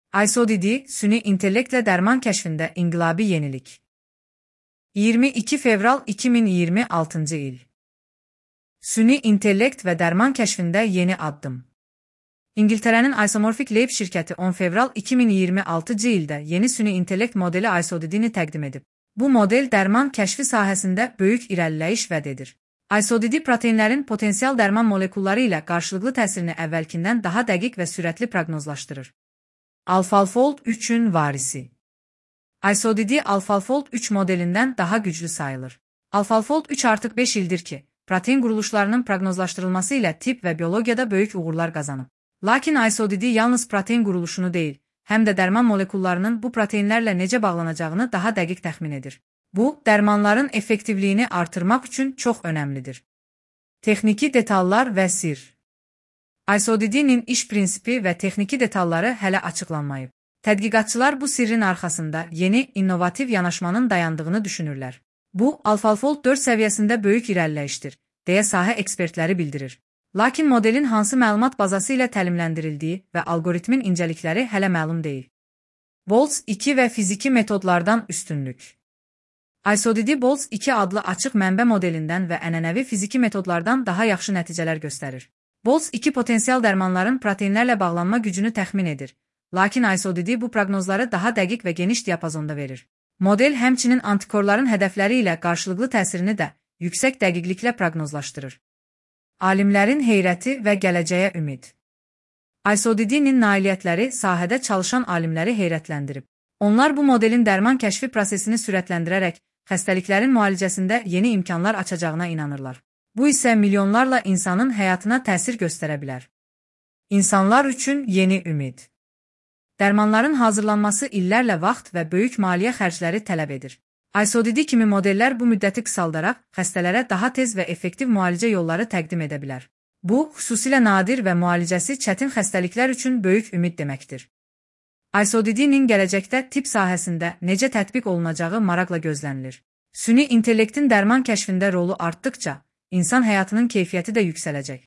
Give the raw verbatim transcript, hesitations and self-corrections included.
ISODD, süni intellektlə dərman kəşfində inqilabi yenilik. iyirmi iki fevral iki min iyirmi altıncı il. Süni intellekt və dərman kəşfində yeni addım. İngiltərənin Isomorphic Lab şirkəti on fevral iki min iyirmi altıncı ildə yeni süni intellekt modeli ISODD-ni təqdim edib. Bu model dərman kəşfi sahəsində böyük irəliləyiş vəd edir. ISODD proteinlərin potensial dərman molekulları ilə qarşılıqlı təsirini əvvəlkindən daha dəqiq və sürətli proqnozlaşdırır. AlphaFold üçün varisi. ISODD AlphaFold üç modelindən daha güclü sayılır. AlphaFold üç artıq beş ildir ki, protein quruluşlarının proqnozlaşdırılması ilə tibb və biologiyada böyük uğurlar qazanıb. Lakin ISODD yalnız protein quruluşunu deyil, həm də dərman molekullarının bu proteinlərlə necə bağlanacağını daha dəqiq təxmin edir. Bu, dərmanların effektivliyini artırmaq üçün çox önəmlidir. Texniki detallar və sir. ISODD-nin iş prinsipi və texniki detalları hələ açıqlanmayıb. Tədqiqatçılar bu sirrin arxasında yeni, innovativ yanaşmanın dayandığını düşünürlər. Bu, AlphaFold dörd səviyyəsində böyük irəliləyişdir, deyə sahə ekspertləri bildirir. Lakin modelin hansı məlumat bazası ilə təlimləndirildiyi və algoritmin incəlikləri hələ məlum deyil. Boltz iki və fiziki metodlardan üstünlük. ISODD Boltz iki adlı açıq mənbə modelindən və ənənəvi fiziki metodlardan daha yaxşı nəticələr göstərir. Boltz iki potensial dərmanların proteinlərlə bağlanma gücünü təxmin edir, lakin ISODD bu proqnozları daha dəqiq və geniş diapazonda verir. Model həmçinin antikorların hədəfləri ilə qarşılıqlı təsirini də yüksək dəqiqliklə proqnozlaşdırır. Alimlərin heyrəti və gələcəyə ümid. ISODD-nin nailiyyətləri sahədə çalışan alimləri heyrətləndirib. Onlar bu modelin dərman kəşfi prosesini sürətləndirərək xəstəliklərin müalicəsində yeni imkanlar açacağına inanırlar. Bu isə milyonlarla insanın həyatına təsir göstərə bilər. İnsanlar üçün yeni ümid. Dərmanların hazırlanması illərlə vaxt və böyük maliyyə xərcləri tələb edir. ISODD kimi modellər bu müddəti qısaldaraq xəstələrə daha tez və effektiv müalicə yolları təqdim edə bilər. Bu, xüsusilə nadir və müalicəsi çətin xəstəliklər üçün böyük ümid deməkdir. ISODD-nin gələcəkdə tibb sahəsində necə tətbiq olunacağı maraqla gözlənilir. Süni intellektin dərman kəşfində rolu artdıqca, insan həyatının keyfiyyəti də yüksələcək.